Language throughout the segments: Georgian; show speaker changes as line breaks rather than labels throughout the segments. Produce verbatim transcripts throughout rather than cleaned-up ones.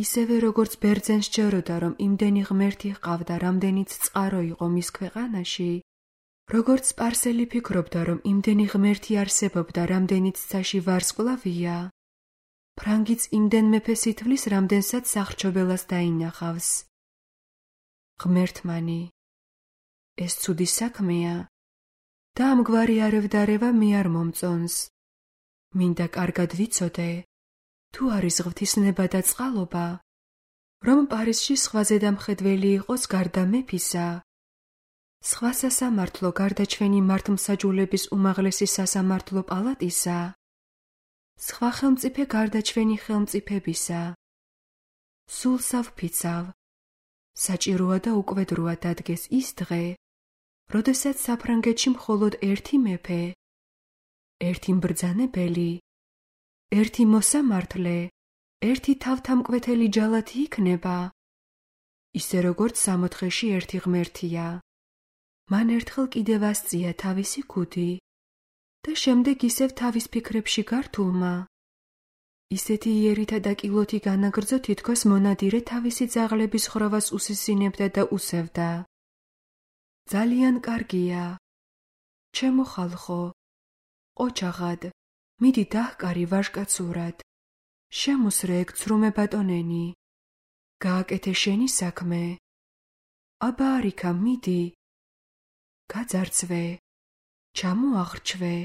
ისევე როგორც ბერძენ სჯეროდა, რომ იმდენი ღმერთი ჰყავდა, რამდენიც წყარო იყო მის ქვეყანაში, როგორც სპარსელი ფიქრობდა, რომ იმდენი ღმერთი არსებობდა, რამდენიც ცაში ვარსკვლავია, ფრანგიც იმდენ მეფეს ითვლის, რამდენსაც სახრჩობელას დაინახავს. ღმერთმანი, ეს ცუდი საქმეა და ამგვარი არევდარევა მე არ მომწონს. მინდა კარგად ვიცოდე, თუ არის ღვთისნება და წყალობა, რომ პარიზში სხვაზე დამხედველი იყოს გარდა მეფისა, სხვა სასამართლო გარდა ჩვენი მართლმსაჯულების უმაღლესი სასამართლო პალატისა, სხვა ხელმწიფე გარდა ჩვენი ხელმწიფებისა. სულსა ვფიცავ, საჭიროა და უკვედროა დადგეს ის დღე, როდესაც საფრანგეთში მხოლოდ ერთი მეფე, ერთი მბრძანებელი, ერთი მოსამართლე, ერთი თავთამკვეთელი ჯალათი იქნება, ისე როგორც სამოთხეში ერთი ღმერთია. მან ერთხელ კიდევ ასწია თავისი ქუდი და შემდეგ ისევ თავის ფიქრებში გართულმა ისეთი იერითა და კილოთი განაგრძო, თითქოს მონადირე თავისი ძაღლების ხროვას უსისინებდა და უსევდა. ძალიან კარგია, ჩემო ხალხო, ოჩაღად, მიდი დაჰკარი ვაჟკაცურად, შემოსრე ეგ ცრუმე ბატონენი, გააკეთე შენი საქმე. აბა არიქა, მიდი, გაძარცვე, ჩამოახრჩვე,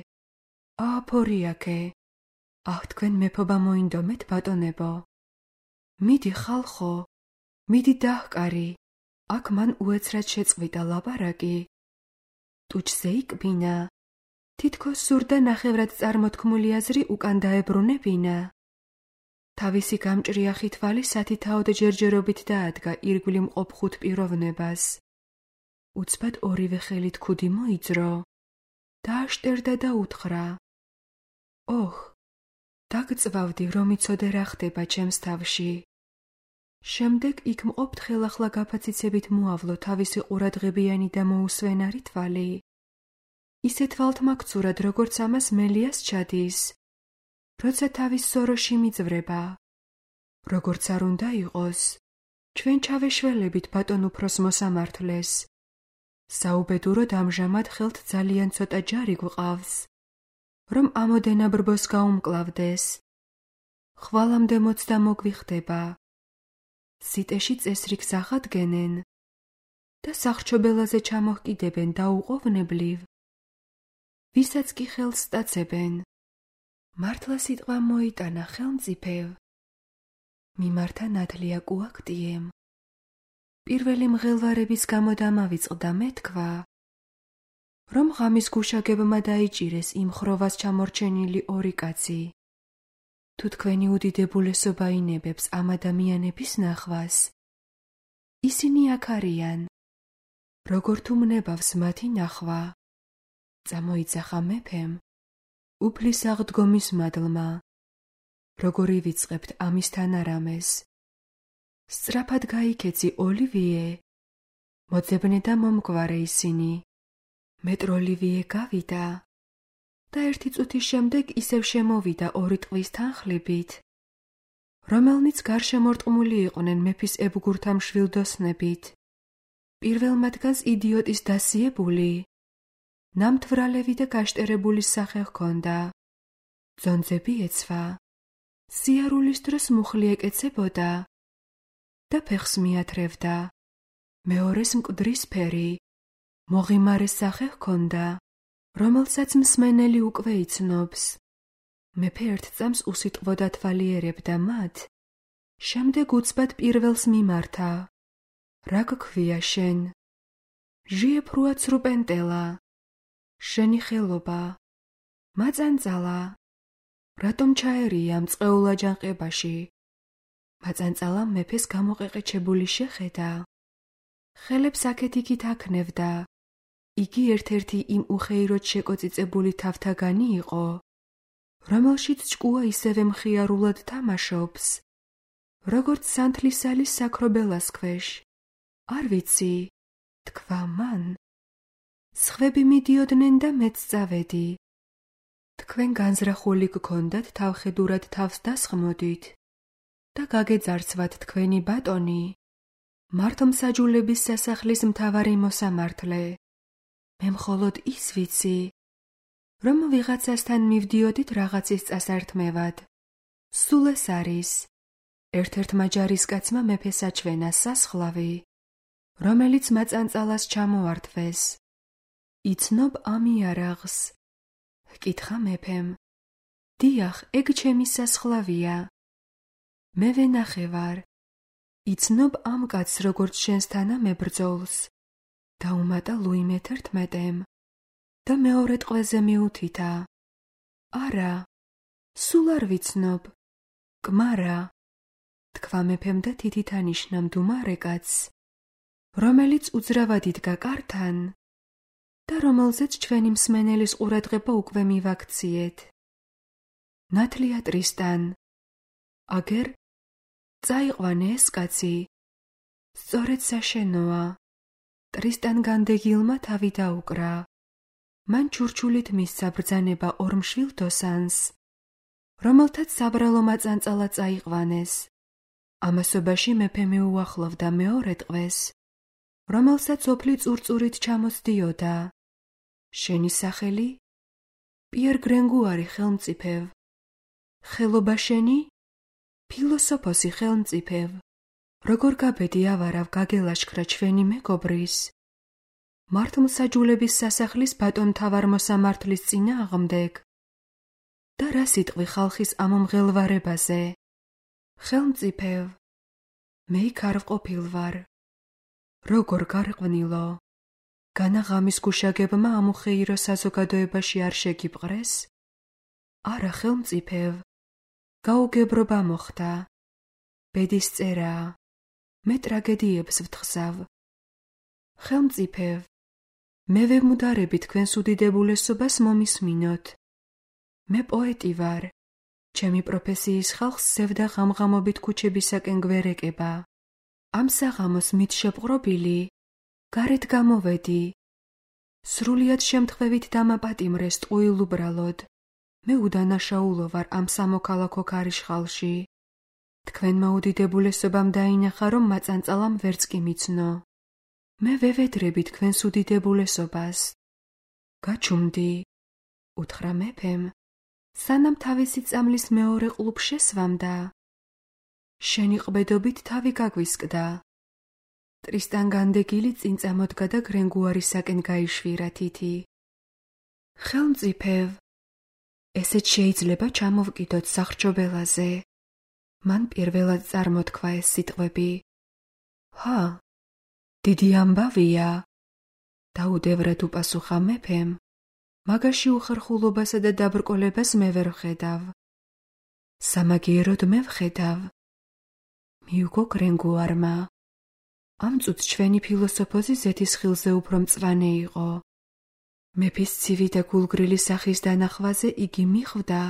ააფორიაქე, აჰ, თქვენ მეფობა მოინდომეთ, ბატონებო. მიდი ხალხო, მიდი დაჰკარი, აქ მან უეცრად შეწყვიტა ლაპარაკი. ტუჩზე იკბინა, თითქოს სურდა ნახევრად წარმოთქმული აზრი უკან დაებრუნებინა. თავისი გამჭრიახი თვალი სათითაოდ ჯერჯერობით დაადგა ირგვლივ მყოფ ხუთ პიროვნებას. უცბად ორივე ხელით ქუდი მოიძრო, დააშტერდა და უთხრა: ოხ, დაგწვავდი, რომ იცოდე რა ხდება ჩემს თავში. შემდეგ იქ მყოფ თხელახლა გაფაციცებით მოავლო თავისი ყურადღებიანი და მოუსვენარი თვალი. ისე თვალთმაქცურად, როგორც ამას მელიას ჩადის, როცა თავის სოროში მიძვრება. როგორც არ უნდა იყოს, ჩვენ ჩავეშველებით ბატონ უფროს მოსამართლეს. საუბედუროდ ამჟამად ხელთ ძალიან ცოტა ჯარი გვყავს, რომ ამოდენა ბრბოს გაუმკლავდეს. ხვალამდე მოცდა მოგვიხდება. სიტეში წესრიგს ახადგენენ და სახრჩობელაზე ჩამოჰკიდებენ დაუყოვნებლივ. ვისაც კი ხელს სტაცებენ, მართლა სიტყვა მოიტანა ხელმწიფევ. მიმართა ნათლია კუაქტიემ. პირველი მღელვარების გამო დამავიწყდა მეთქვა, რომ ღამის გუშაგებმა დაიჭირეს იმ ხროვას ჩამორჩენილი ორი კაცი. თუ თქვენი უდიდებულესობა ინებებს ამ ადამიანების ნახვას, ისინი აქ არიან. როგორ თუ მნებავს მათი ნახვა, წამოიძახა მეფემ, უფლის აღდგომის მადლმა, როგორ ივიწყებთ ამისთან არამეს. სწრაფად გაიქეცი ოლივიე, მოძებნე და მომგვარე ისინი. მეტროლივიე გავიდა და ერთი წუთის შემდეგ ისევ შემოვიდა ორი ტყვის თანხლებით, რომელნიც გარშემორტყმული იყვნენ მეფის ებგურთა მშვილდოსნებით. პირველ მათგანს იდიოტის დასიებული, ნამთვრალევი და გაშტერებული სახე ჰქონდა. ძონძები ეცვა, სიარულის დროს მუხლი ეკეცებოდა და ფეხს მიათრევდა. მეორეს მკვდრისფერი, მოღიმარე სახე ჰქონდა, რომელსაც მსმენელი უკვე იცნობს. მეფე ერთ წამს უსიტყვოდ ათვალიერებდა მათ, შემდეგ უცბად პირველს მიმართა. რა გქვია შენ? ჟიეფრუა ცრუპენტელა, შენი ხელობა, მაწანწალა, რატომ ჩაერია ამ წყეულ აჯანყებაში? მაწანწალამ მეფეს გამოყეყეჩებული შეხედა. ხელებს აქეთ-იქით აქნევდა. იგი ერთ-ერთი იმ უხეიროდ შეკოწიწებული თავთაგანი იყო, რომელშიც ჭკუა ისევე მხიარულად თამაშობს, როგორც სანთლისალის საქრობელას ქვეშ. არ ვიცი, თქვა მან. სხვები მიდიოდნენ და მეც წავედი. თქვენ განზრახული გქონდათ თავხედურად თავს დასხმოდით. და გაგეძარცვათ თქვენი ბატონი, მართლმსაჯულების სასახლის მთავარი მოსამართლე. მე მხოლოდ ის ვიცი, რომ ვიღაცასთან მივდიოდით რაღაცის წასართმევად. სულ ეს არის ერთ-ერთმა ჯარისკაცმა მეფეს აჩვენა სასხლავი, რომელიც მაწანწალას ჩამოართვეს. იცნობ ამ იარაღს? ჰკითხა მეფემ. დიახ, ეგ ჩემი სასხლავია. მე ვენახე ვარ. იცნობ ამ კაცს, როგორც შენს თანამებრძოლს? დაუმატა ლუი მეთერთმეტემ და მეორე ტყვეზე მიუთითა. არა, სულ არ ვიცნობ. კმარა, თქვა მეფემ და თითით ანიშნა მდუმარე კაცს, რომელიც უძრავად იდგა კართან და რომელზეც ჩვენი მსმენელის ყურადღება უკვე მივაქციეთ. ნათლია ტრისტან. აგერ წაიყვანე ეს კაცი. სწორედ საშენოა. ტრისტან განდეგილმა თავი დაუკრა. მან ჩურჩულით მისცა ბრძანება ორ მშვილ დოსანს, რომელთაც საბრალო მაწანწალა წაიყვანეს. ამასობაში მეფე მიუახლოვდა მეორე ტყვეს, რომელსაც ოფლი წურწურით ჩამოსდიოდა. შენი სახელი? პიერ გრენგუარი, ხელმწიფევ. ხელობა შენი? ფილოსოფოსი, ხელმწიფევ. როგორ გაბედი ავარავ გაგელაშქრა ჩვენი მეგობრის, მართლმსაჯულების სასახლის ბატონთავარ მოსამართლის წინააღმდეგ? და რა სიტყვი ხალხის ამ მღელვარებაზე? ხელმწიფევ, მე იქ არ ვყოფილ ვარ. როგორ გარყვნილო? განა ღამის გუშაგებმა ამუხეირო საზოგადოებაში არ შეგიპყრეს? არა, ხელმწიფევ, გაუგებრობა მოხდა. ბედის წერაა. მე ტრაგედიებს ვთხზავ. ხელმწიფევ, მე ვემუდარები თქვენს უდიდებულესობას მომისმინოთ. მე პოეტი ვარ. ჩემი პროფესიის ხალხს სევდა ღამღამობით ქუჩებისაკენ გვერეკება. ამ საღამოს მით შეპყრობილი, გარეთ გამოვედი. სრულიად შემთხვევით დამაპატიმრეს ტყუილ უბრალოდ. მე უდანაშაულო ვარ ამ სამოქალაქო ქარიშხალში. თქვენმა უდიდებულესობამ დაინახა, რომ მაწანწალამ ვერც კი მიცნო. მე ვევედრები თქვენს უდიდებულესობას. გაჩუმდი, უთხრა მეფემ, სანამ თავისი წამლის მეორე ყლუბ შესვამდა. შენი ყბედობით თავი გაგვისკდა. ტრისტან განდეგილი წინ წამოდგა და გრენგუარისაკენ გაიშვირა თითი. ხელმწიფევ, ესეც შეიძლება ჩამოვკიდოთ სახრჩობელაზე. მან პირველად წარმოთქვა ეს სიტყვები. ჰა, დიდი ამბავია, დაუდევრად უპასუხა მეფემ, მაგაში უხერხულობასა და დაბრკოლებას მე ვერ ვხედავ. სამაგიეროდ მე ვხედავ. მიუგო გრენგუარმა. ამ წუთს ჩვენი ფილოსოფოსი ზეთის ხილზე უფრო მწვანე იყო. მეფის ცივი და გულგრილი სახის დანახვაზე იგი მიხვდა,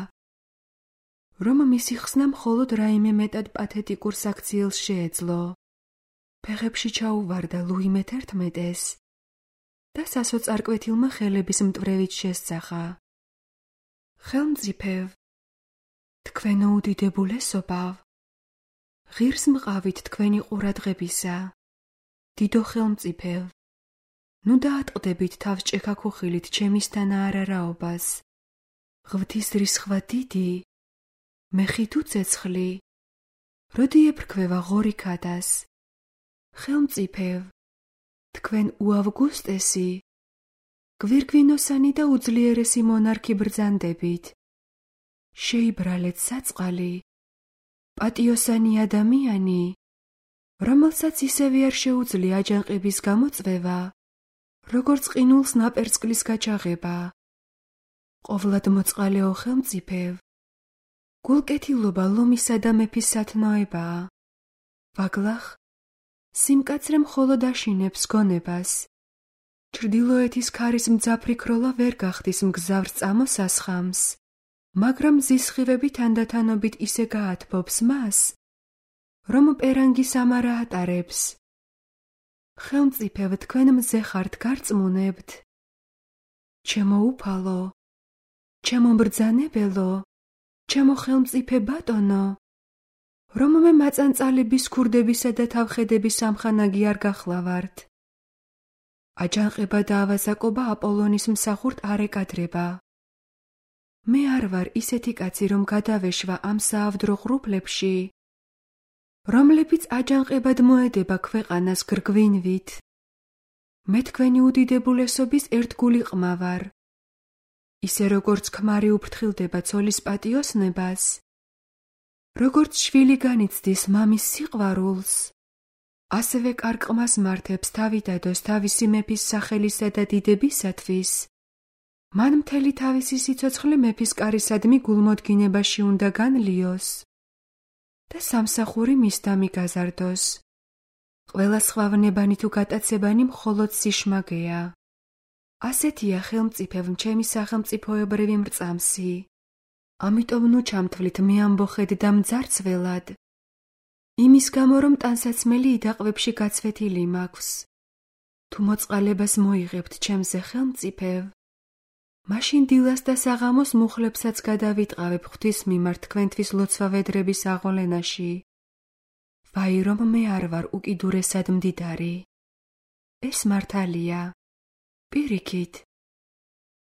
რომ მისი ხსნა მხოლოდ რაიმე მეტად პათეტიკურ საქციელს შეეძლო. ფეხებში ჩაუვარდა ლუი მეთერთმეტეს და სასოწარკვეთილმა ხელების მტვრევით შესძახა. ხელმწიფევ, თქვენო უდიდებულესობავ, ღირს მყავით თქვენი ყურადღებისა. დიდო ხელმწიფევ, ნუ დაატყდებით თავს ჭექაქუხილით ჩემისთანა არარაობას. ღვთის რისხვა დიდი, მე ხით უცეცხლი, როდი ეფრქვევა ღორი ქადას. ხელმწიფევ, თქვენ უავგუსტესი, გვირგვინოსანი და უძლიერესი მონარქი ბრძანდებით. შეიბრალეთ საწყალი, პატიოსანი ადამიანი, რომელსაც ისევე არ შეუძლია აჯანყების გამოწვევა, როგორც ყინულს ნაპერწკლის გაჩაღება. ყოვლად მოწყალეო ხელმწიფევ, გულკეთილობა ლომისა და მეფის სათნოებაა. ვაგლახ, სიმკაცრე მხოლოდ აშინებს გონებას. ჩრდილოეთის ქარის მძაფრი ქროლა ვერ გახდის მგზავრს წამოსასხამს, მაგრამ ზისხივები თანდათანობით ისე გაათბობს მას, რომ პერანგი სამარა ატარებს. ხელმწიფევ, თქვენ მზე ხართ გარწმუნებთ. ჩემო უფალო, ჩემო მბრძანებელო, ჩემო ხელმწიფე ბატონო, რომ მე მაწანწალების ქურდებისა და თავხედების სამხანაგი არ გახლავართ. აჯანყება და ავაზაკობა აპოლონის მსახურთ არ ეკადრება. მე არ ვარ ისეთი კაცი, რომ გადავეშვა ამ საავდრო ღრუბლებში, რომლებიც აჯანყებად მოედება ქვეყანას გრგვინვით. მე თქვენი უდიდებულესობის ერთგული ყმა ვარ. ისე როგორც ქმარი უფრთხილდება ცოლის პატიოსნებას, როგორც შვილი განიცდის მამის სიყვარულს, ასევე კარგ-ყმას მართებს თავიდადოს თავისი მეფის სახელისა და დიდებისათვის, მან მთელი თავისი სიცოცხლე მეფის კარისადმი გულმოდგინებაში უნდა განლიოს და სამსახური მისდამი გაზარდოს. ყველა სხვავნებანი თუ გატაცებანი მხოლოდ სიშმაგეა. ასეთია ხელმწიფევ ჩემი სახელმწიფოებრივი მრწამსი. ამიტომ ნუ ჩამთვლით მე ამბოხედ და მძარცველად. იმის გამო რომ ტანსაცმელი იდაყვებში გაცვეთილი მაქვს. თუ მოწყალებას მოიღებთ ჩემზე ხელმწიფევ, მაშინ დილას და საღამოს მუხლებსაც გადავიტყავებ ღვთის მიმართ თქვენთვის ლოცვა-ვედრების აღოლენაში. ვაი რომ მე არ ვარ უკიდურესად მდიდარი. ეს მართალია. პირიქით,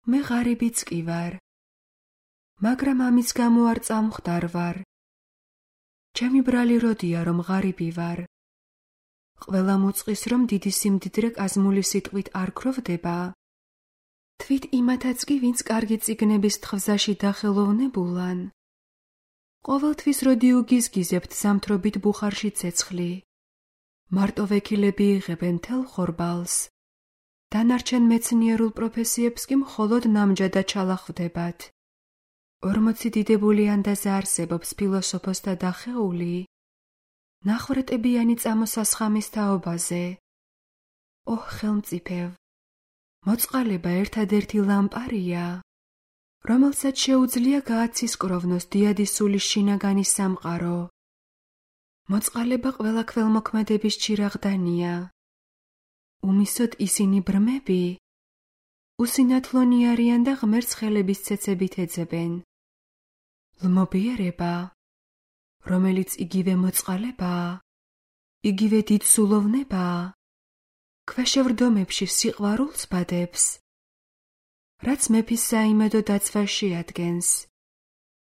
მე ღარიბიც კი ვარ. მაგრამ ამის გამო არ წამხვდარ ვარ. ჩემი ბრალი როდია რომ ღარიბი ვარ. ყველა მოწყის რომ დიდი სიმდიდრე კაზმული სიტყვით არ ქროვდება. თვით იმათაც კი ვინც კარგი წიგნების თხზაში დახელოვნებულან. ყოველთვის როდი უგიზგიზებთ ზამთრობით ბუხარში ცეცხლი. მარტო ვექილები იღებენ თელ ხორბალს. დანარჩენ მეცნიერულ პროფესიებს კი მხოლოდ ნამჯადად ჩალახვდებათ. ორმოცი დიდებულიან და ზაარსებობს ფილოსოფოსთა დახეული, ნახვრეტებიანი წამოსასხამის თაობაზე. ოჰ, ხელმწიფევ, მოწყალება ერთადერთი ლამპარია, რომელსაც შეუძლია გააცისკროვნოს დიადის სულის შინაგანი სამყარო. მოწყალება ყველა ქველმოქმედების ჩირაღდანია. უმისოდ ისინი ბრმები, უსინათლონი არიან და ღმერთს ხელების ცეცებით ეძებენ. ლმობიერება, რომელიც იგივე მოწყალებაა, იგივე დიდ სულოვნებაა, ქვეშევრდომებში სიყვარულს ბადებს, რაც მეფის საიმედო დაცვას შეადგენს.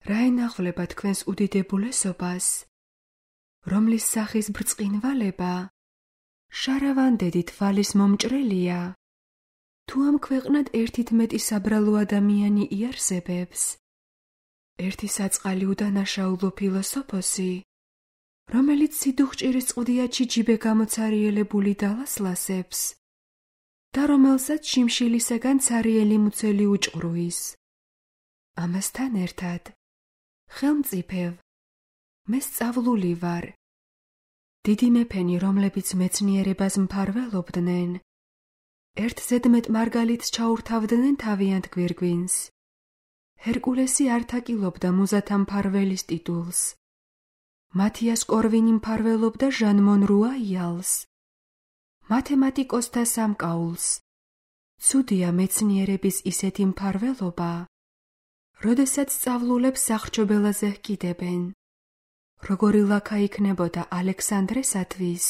რა ენახვლება თქვენს უდიდებულესობას, რომლის სახის ბრწყინვალება შარავანდედით ვალის მომჭრელია, თუ ამ ქვეყნად ერთით მეტი საბრალო ადამიანი იარსებებს, ერთი საწყალი უდანაშაულო ფილოსოფოსი, რომელიც სიდუხჭირის წყდიაჩი ჯიბე გამოცარიელებული დალასლასებს და რომელსაც შიმშილისაგან ცარიელი მუცელი უჭყრუის. ამასთან ერთად, ხელმწიფევ, მე სწავლული ვარ. დიდი მეფენი, რომლებიც მეცნიერებას მფარველობდნენ, ერთ ზედმეტ მარგალიტს ჩაურთავდნენ თავიანთ გვირგვინს. ჰერკულესი არ თაკილობდა მუზათა მფარველის ტიტულს. მათიას კორვინი მფარველობდა ჟან მონრუა იალს, მათემატიკოსთა სამკაულს. ცუდია მეცნიერების ისეთი მფარველობა, როდესაც სწავლულებს სახრჩობელაზე ჰკიდებენ. როგორი ლაქა იქნებოდა ალექსანდრესათვის,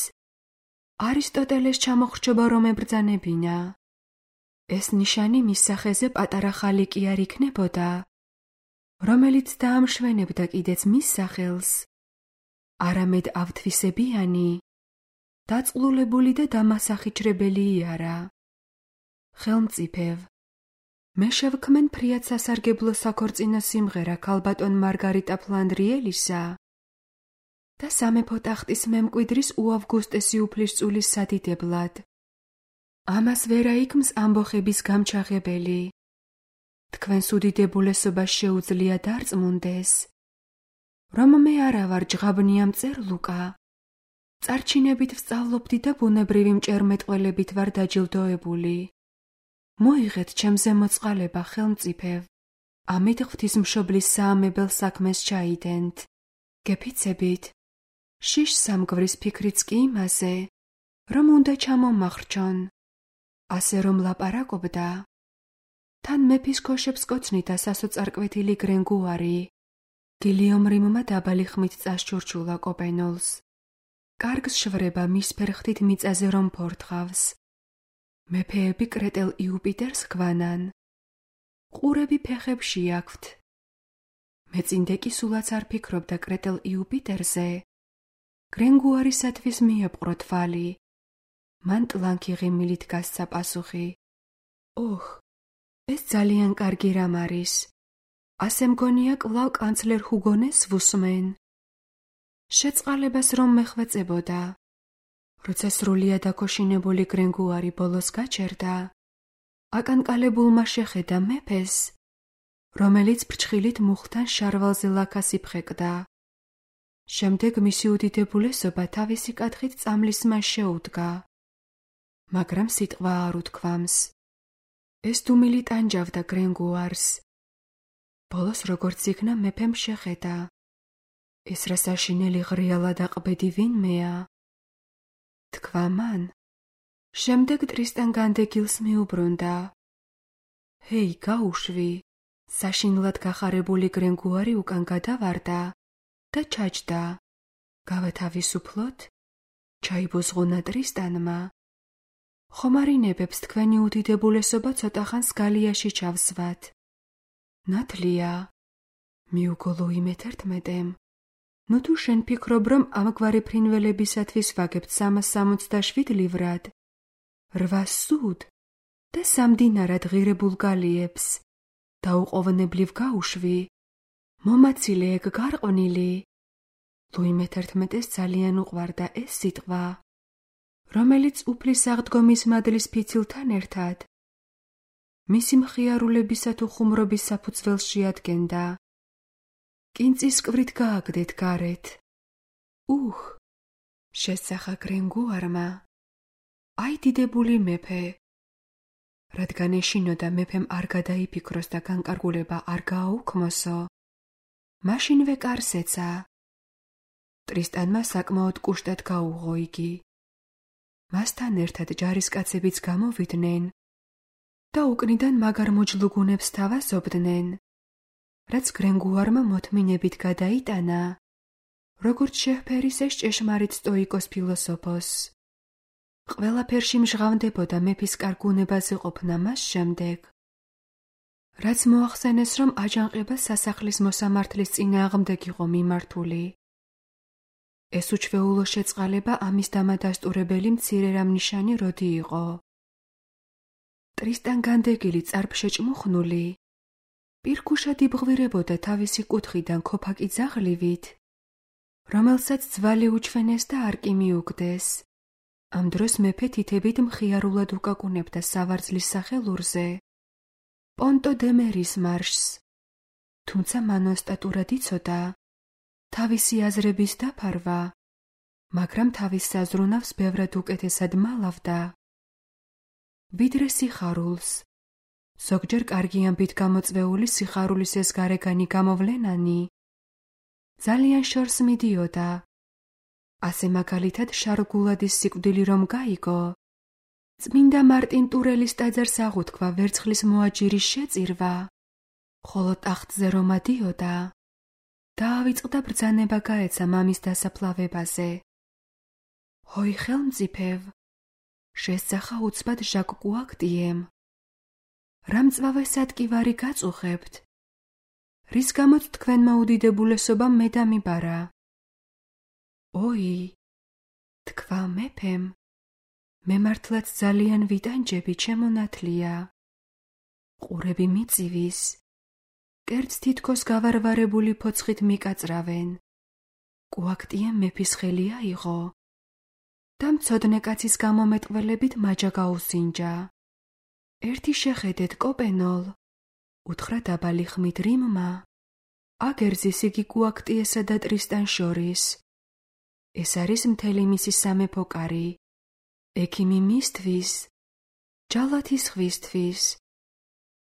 არისტოტელეს ჩამოხრჩობა რომ ებრძანებინა. ეს ნიშანი მის სახეზე პატარა ხალიკი არ იქნებოდა, რომელიც დაამშვენებდა კიდეც მის სახელს, არამედ ავთვისებიანი, დაწყლულებული და დამასახიჩრებელი იარა. ხელმწიფევ, მე შევქმენ ფრიად სასარგებლო საქორწინო სიმღერა ქალბატონ მარგარიტა ფლანდრიელისა და სამეფო ტახტის მემკვიდრის უავგუსტესი უფლისწულის სადიდებლად. ამას ვერა იქმს ამბოხების გამჩაღებელი. თქვენს უდიდებულესობას შეუძლია დარწმუნდეს, რომ მე არა ვარ ჯღაბნია მწერლუკა, წარჩინებით ვსწავლობდი და ბუნებრივი მჭერმეტყველებით ვარ დაჯილდოებული. მოიღეთ ჩემზე მოწყალება, ხელმწიფევ, ამით ღვთისმშობლის საამებელ საქმეს ჩაიდენთ. გეფიცებით, შიშ სამგვრის ფიქრიც კი იმაზე, რომ უნდა ჩამომახრჩონ. ასე რომ ლაპარაკობდა, თან მეფის ქოშებს კოცნით და სასოწარკვეთილი გრენგუარი, გილიომ რიმმა დაბალი ხმით წასჩურჩულა კოპენოლს. კარგს შვრება მის ფერხთით მიწაზე რომ ფორთხავს. მეფეები კრეტელ იუპიტერს გვანან. ყურები ფეხებში აქვთ. მეწინდე კი სულაც არ ფიქრობდა კრეტელ იუპიტერზე. გრენგუარისათვის მიეპყრო თვალი. მან ტლანქი ღიმილით გასცა პასუხი. ოხ, ეს ძალიან კარგი რამ არის. ასე მგონია კვლავ კანცლერ ჰუგონეს ვუსმენ. შეწყალებას რომ მეხვეწებოდა. როცა სრულიად დაქოშინებული გრენგუარი ბოლოს გაჩერდა, აკანკალებულმა შეხედა მეფეს, რომელიც ფრჩხილით მუხთან შარვალზე ლაქას იფხეკდა. შემდეგ მისი უდიდებულესობა თავისი კათხით წამლისმან შეუდგა. მაგრამ სიტყვა არ უთქვამს. ეს დუმილი ტანჯავდა გრენგუარს. ბოლოს როგორც იქნა მეფემ შეხედა. ეს რა საშინელი ღრიალა და ყბედი ვინმეა? თქვა მან. შემდეგ ტრისტან განდეგილს მიუბრუნდა. ჰეი, გაუშვი! საშინლად გახარებული გრენგუარი უკან გადავარდა და ჩაჯდა. გავათავისუფლოთ? ჩაიბოზღუნა ტრისტანმა. ხომარინებებს თქვენი უდიდებულესობა ცოტა ხანს გალიაში ჩავსვათ. ნათლია, მიუგო ლუი მეთერთმეტემ. ნუ თუ შენ ფიქრობ, რომ ამგვარი ფრინველებისათვის ვაგებთ სამას სამოცდაშვიდ livrად, რვას სუდ და სამ დინარად ღირებულ გალიებს, დაუყოვნებლივ გაუშვი, მომაცილე ეგ გარყვნილი. ლუი მეთერთმეტეს ძალიან უყვარდა ეს სიტყვა, რომელიც უფლის აღდგომის მადლის ფიცილთან ერთად მისი მხიარულებისა თუ ხუმრობის საფუძველს შეადგენდა. კინწის კვრით გააგდეთ გარეთ. უხ, შესახა გრენგუარმა. აი დიდებული მეფე. რადგან ეშინოდა მეფემ არ გადაიფიქროს და განკარგულება არ გააუქმოსო, მაშინვე კარს ეცა. ტრისტანმა საკმაოდ კუშტად გაუღო იგი. მასთან ერთად ჯარისკაცებიც გამოვიდნენ და უკნიდან მაგარ მოჯლუგუნებს თავაზობდნენ, რაც გრენგუარმა მოთმინებით გადაიტანა, როგორც შეჰფერის ეს ჭეშმარიტ სტოიკოს ფილოსოფოს. ყველაფერში მჟღავნდებოდა მეფის კარგუნებაზე ყოფნა მას შემდეგ, რაც მოახსენეს, რომ აჯანყება სასახლის მოსამართლის წინააღმდეგ იყო მიმართული. ეს უჩვეულო შეწყალება ამის დამადასტურებელი მცირე რამნიშანი როდი იყო. ტრისტან განდეგილი წარფშეჭმუხნული, პირქუშად იბღვირებოდა თავისი კუთხიდან ქოფაკი ძაღლივით, რომელსაც ძვალი უჩვენეს და არ კი მიუგდეს. ამ დროს მეფე თითებით მხიარულად უკაკუნებდა სავარძლის სახელურზე პონტო დე მერის მარშს, თუმცა მან ოსტატურად იცოდა თავისი აზრების დაფარვა, მაგრამ თავის საზრუნავს ბევრად უკეთესად მალავდა. ვიდრე სიხარულს, ზოგჯერ კარგი ამბით გამოწვეული სიხარულის ეს გარეგანი გამოვლენანი ძალიან შორს მიდიოდა. ასე მაგალითად შარგულადის სიკვდილი რომ გაიგო, წმინდა მარტინ ტურელის ტაძარს აღუთქვა ვერცხლის მოაჯირის შეწირვა, ხოლო ტახტზე რომ ადიოდა, დაავიწყდა ბრძანება გაეცა მამის დასაფლავებაზე. ჰოი ხელმწიფევ, შესძახა უცბად ჟაკ კუაქტიემ. რა მწვავესად კი ვარი გაწუხებთ? რის გამოც თქვენმა უდიდებულესობამ მე დამიბარა? ოი, თქვა მეფემ, მე მართლაც ძალიან ვიტანჯები, ჩემო ნათლია. ყურები მიწივის, კერძ თითქოს გავარვარებული ფოცხით მიკაწრავენ. კუაქტიემ მეფის ხელი აიღო და მცოდნე კაცის გამომეტყველებით მაჯა გაუსინჯა. ერთი შეხედეთ, კოპენოლ, უთხრა დაბალი ხმით რიმმა. აგერძის იგი კუაქტიესა და ტრისტან შორის. ეს არის მთელი მისი სამეფო კარი. ექიმი მისთვის, ჯალათი სხვისთვის.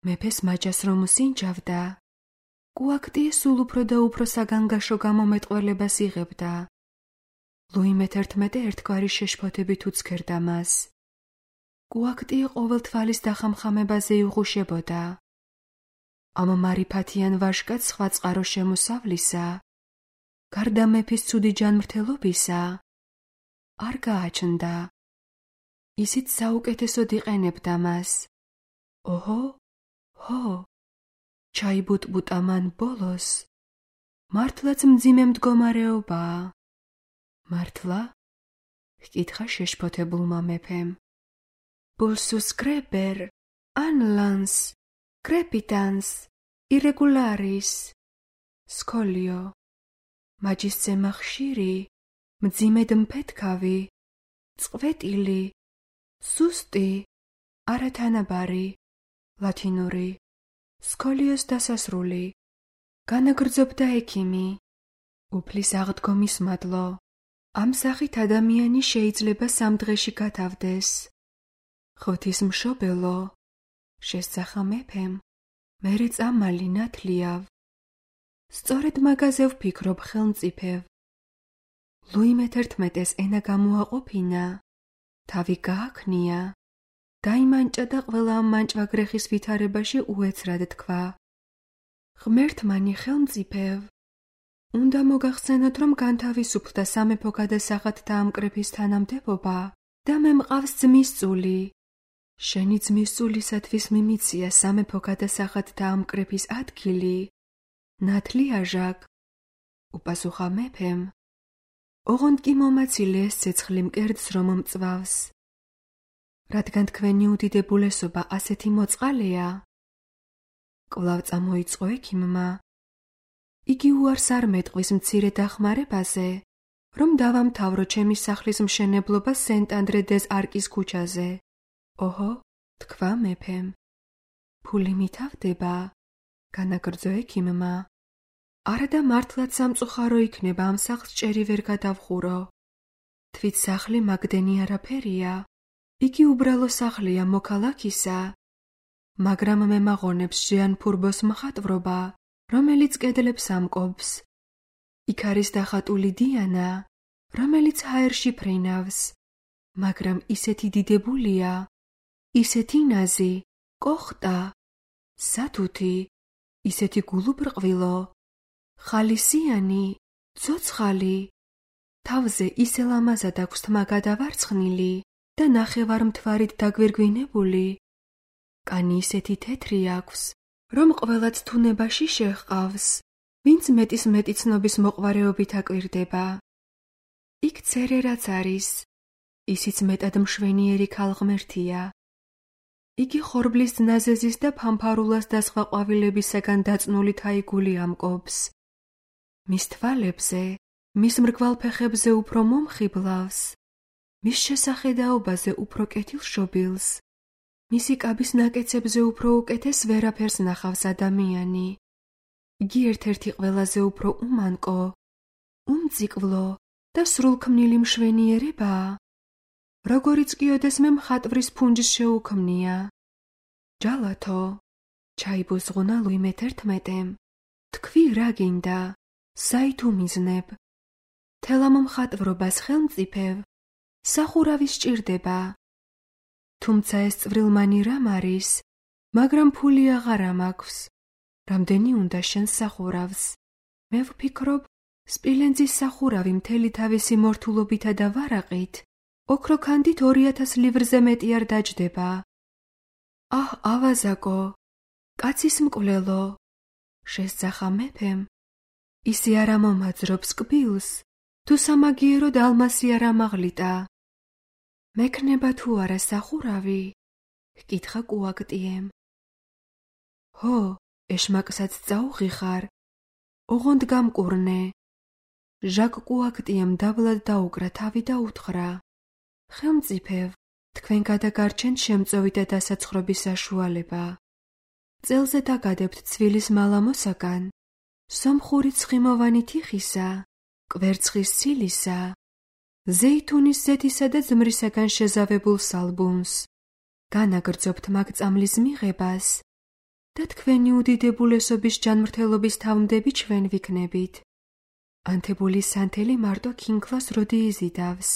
მეფეს მაჯას რომ უსინჯავდა, კუაქტიე სულ უფრო და უფრო საგანგაშო გამომეტყველებას იღებდა. ლუი მეთერთმეტე ერთგვარი შეშფოთებით უცქერდა მას. კუაქტიე ყოველ თვალის დახამხამებაზე იღუშებოდა. ამ მარიფათიან ვაჟკაც სხვა წყარო შემოსავლისა, გარდა მეფის ცუდი ჯანმრთელობისა, არ გააჩნდა. ისიც საუკეთესოდ იყენებდა მას. ოჰო, ჰო, ჩაიბუტბუტა მან ბოლოს. მართლაც მძიმე მდგომარეობაა. მართლა? ჰკითხა შეშფოთებულმა მეფემ. Pulsus creper, anlans, crepitans, irregularis. Სკოლიო. მაჯისცემა ხშირი, მძიმედ მფეთქავი, წყვეტილი, სუსტი, არათანაბარი. ლათინური. სკოლიოს დასასრული. განაგრძობდა ექიმი. უფლის აღდგომის მადლო. ამ სახით ადამიანი შეიძლება სამ დღეში გათავდეს. ღვთისმშობელო, შესძახა მეფემ, მერე წამალი ნათლიავ. სწორედ მაგაზე ვფიქრობ ხელმწიფევ. ლუი მეთერთმეტეს ენა გამოაყოფინა, თავი გააქნია, დაიმანჭა და ყველა ამ მანჭვაგრეხის ვითარებაში უეცრად თქვა. ღმერთმანი ხელმწიფევ, უნდა მოგახსენოთ, რომ განთავისუფლდა სამეფო გადასახადთა დაამკრეფის თანამდებობა და მე მყავს ძმის წული. შენი ძმის წულისათვის მიმიცია სამეფო გადასახადთა დაამკრეფის ადგილი. ნათლიაჟაკ, უპასუხა მეფემ. ოღონდ კი მომაცილე ეს ცეცხლი მკერდს რომ მწვავს. რადგან თქვენი უდიდებულესობა ასეთი მოწყალეა, კვლავ წამოიწყო ექიმმა. იგი უარს არ მეტყვის მცირე დახმარებაზე, რომ დავამთავრო ჩემი სახლის მშენებლობა სენტ-ანდრე-დეზ-არკის ქუჩაზე. ოჰო, თქვა მეფემ. ფული მითავდება, განაგრძო ექიმმა. არადა მართლაც სამწუხარო იქნება ამ სახლს ჭერი ვერ გადავხურო. თვით სახლი მაგდენი არაფერია. იგი უბრალო სახლია მოქალაქისა, მაგრამ მე მაღონებს ჟიან ფურბოს მხატვრობა, რომელიც კედლებს ამკობს. იქ არის დახატული დიანა, რომელიც ჰაერში ფრინავს, მაგრამ ისეთი დიდებულია, ისეთი ნაზი, კოხტა, სათუთი, ისეთი გულუბრყვილო, ხალისიანი, ცოცხალი, თავზე ისე ლამაზად აქვს თმა გადავარცხნილი და ნახევარმთვარით დაგვირგვინებული. კანი ისეთი თეთრი აქვს, რომ ყველაც თუნებაში შეჰყავს, ვინც მეტის მეტი ცნობის მოყვარეობით აკვირდება. იქ ცერერაც არის, ისიც მეტად მშვენიერი ქალღმერთია. იგი ხორბლის ნაზეზის და ფამფარულას და სხვა ყვავილებისაგან დაწნული თაიგული ამკობს. მის თვალებზე, მის მრგვალ ფეხებზე უფრო მომხიბლავს, მის შესახედაობაზე უფრო კეთილშობილს, მისი კაბის ნაკეცებზე უფრო უკეთეს ვერაფერს ნახავს ადამიანი. იგი ერთ-ერთი ყველაზე უფრო უმანკო, უმწიკლო და სრულქმნილი მშვენიერებაა. როგორიც კი ოდესმე მხატვრის ფუნჯს შეუქმნია. ჯალათო, ჩაიბუზღუნა ლუი მეთერთმეტემ. თქვი რა გინდა, საით უმიზნებ. თელამ მხატვრობას ხელმწიფევ, სახურავი სჭირდება. თუმცა ეს წვრილმანი რამ არის, მაგრამ ფული აღარა მაქვს. რამდენი უნდა შენს სახურავს? მე ვფიქრობ, სპილენძის სახურავი მთელი თავისი მორთულობითა და ვარაყით, ოქროქანდით ორი ათას livrზე მეტი არ დაჯდება. აჰ, ავაზაკო, კაცის მკვლელო, შესძახა მეფემ. ისი არ ამომაძრობს კბილს, თუ სამაგიეროდ ალმასი არ ამაღლიტა. მექნება თუ არა სახურავი? ჰკითხა კუაქტიემ. ჰო, ეშმაკსაც წაუღიხარ, ოღონდ გამკურნე. ჟაკ კუაქტიემ დაბლად დაუკრა თავი და უთხრა. ხელმწიფევ, თქვენ გადაგარჩენთ შემწოვი და დასაცხრობის საშუალება. წელზე დაგადებთ ცვილის მალამოსაგან, სომხური ცხიმოვანი თიხისა, კვერცხის ცილისა, ზეითუნის ზეთისა და ზმრისაგან შეზავებულ სალბუნს. განაგრძობთ მაგ წამლის მიღებას და თქვენი უდიდებულესობის ჯანმრთელობის თავმდები ჩვენ ვიქნებით. ანთებული სანთელი მარტო ქინქლას როდი იზიდავს.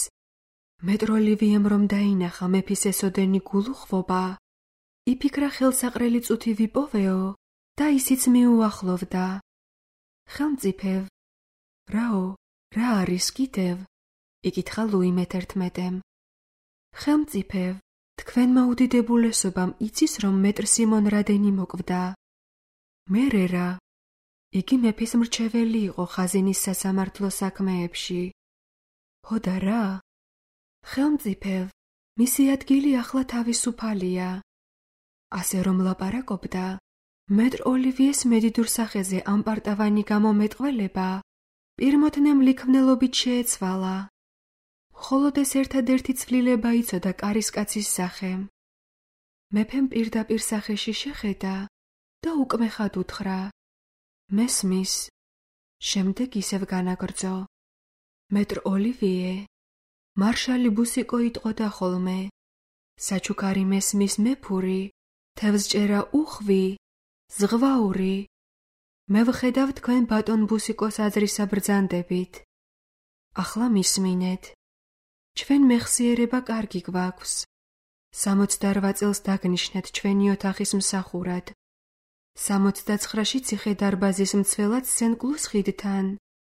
მეტროლივიემ რომ დაინახა მეფის ესოდენი გულუხვობა, იფიქრა ხელსაყრელი წუთი ვიპოვეო და ისიც მიუახლოვდა. ხელმწიფევ, რაო, რა არის კიდევ? იკითხა ლუი მეთერთმეტემ. ხელმწიფევ, თქვენმა უდიდებულესობამ იცის, რომ მეტრ სიმონ რადენი მოკვდა. მერე რა? იგი მეფის მრჩეველი იყო ხაზინის სასამართლო საქმეებში. ხო და რა? ხელმწიფევ, მისი ადგილი ახლა თავისუფალია. ასე რომ ლაპარაკობდა, მეტრ ოლივიეს მედიდურ სახეზე ამპარტავანი გამომეტყველება პირმოთნემ ლიქვნელობით შეეცვალა. მხოლოდ ეს ერთადერთი ცვლილება იცოდა კარისკაცის სახე. მეფემ პირდაპირ სახეში შეხედა და უკმეხად უთხრა: მესმის. შემდეგ ისევ განაგრძო: მეტრ ოლივიე, მარშალი ბუსიკო იტყოდა ხოლმე: საჩუქარი მესმის მეფური, თევზჭერა უხვი, ზღვაური. მე ვხედავ თქვენ ბატონ ბუსიკოს აზრისა ბრძანდებით. ახლა მისმინეთ. ჩვენ მეხსიერება კარგი გვაქვს. სამოცდარვა წელს დაგნიშნეთ ჩვენი ოთახის მსახურად. სამოცდაცხრაში ციხე დარბაზის მცველად სენ-კლუს ხიდთან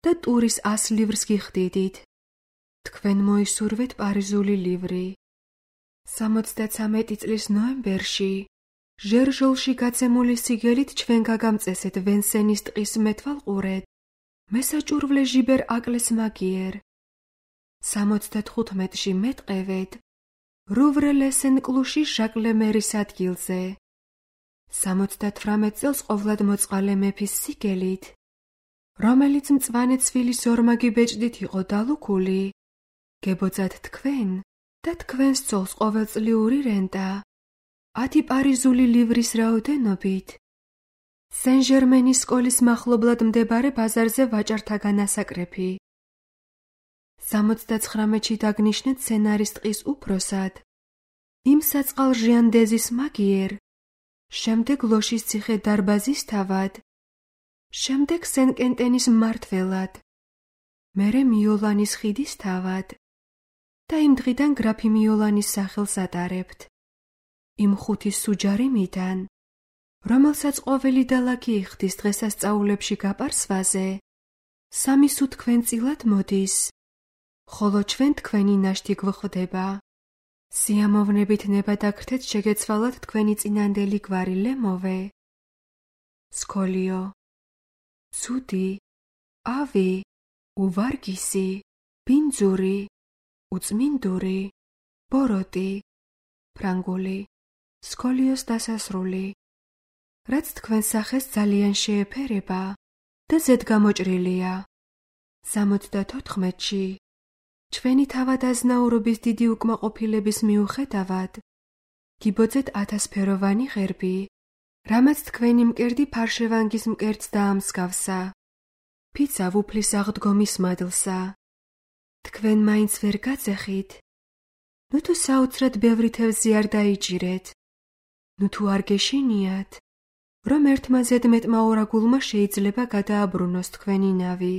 და ტურის ას ლივრს გიხდიდით. თქვენ მოისურვეთ პარიზული ლივრი. სამოცდაცამეტი წლის ნოემბერში ჟერჟოლში გაცემული სიგელით ჩვენ გაგამწესეთ ვენსენის ტყის მეთვალყურეთ მესაჭურვლე ჟიბერ აკლეს მაგიერ. სამოცდათხუთმეტში მეტყევეთ რუვრე ლესენ-კლუში ჟაკ ლემერის ადგილზე. სამოცდათვრამეტ წელს ყოვლად მოწყალე მეფის სიგელით, რომელიც მწვანე ცვილის ორმაგი ბეჭდით იყო დალუქული, გებოძათ თქვენ და თქვენს ცოლს ყოველწლიური რენტა, ათი პარიზული ლივრის რაოდენობით. სენ-ჟერმენის სკოლის მახლობლად მდებარე ბაზარზე ვაჭართაგან ასაკრეფი. სამოცდაცხრამეტში დაგნიშნეთ სენარის ტყის უფროსად, იმ საწყალ ჟიანდეზის მაგიერ, შემდეგ ლოშის ციხე დარბაზის თავად, შემდეგ სენ-კენტენის მმართველად, მერე მიოლანის ხიდის თავად და იმ დღიდან გრაფი მიოლანის სახელს ატარებთ. იმ ხუთი სუჯარი მიდან, რომელსაც ყოველი დალაგი იხდის დღესასწაულებში გაპარსვაზე, სამი სუ თქვენწილად მოდის, ხოლო ჩვენ თქვენი ნაშთი გვხვდება. სიამოვნებით ნებადაგრთეთ შეგეცვალათ თქვენი წინანდელი გვარი ლემოვე. სკოლიო. ცუდი, ავი, უვარგისი, ბინძური, უწმინდური, ბოროტი, ფრანგული, სკოლიოს დასასრული. რაც თქვენ სახეს ძალიან შეეფერება და ზედგამოჭრილია. სამოცდათოთხმეტში ჩვენი თავადაზნაურობის დიდი უკმაყოფილების მიუხედავად გიბოძეთ ათასფეროვანი ღერბი, რამაც თქვენი მკერდი ფარშევანგის მკერდს დაამსგავსა. ფიცა ვუფლის აღდგომის მადლსა. თქვენ მაინც ვერ გაწეხით. ნუ თუ საოცრად ბევრი თევზი არ დაიჭირეთ. ნუ თუ არ გეშინიათ, რომ ერთმა ზედმეტმა ორაგულმა შეიძლება გადააბრუნოს თქვენი ნავი.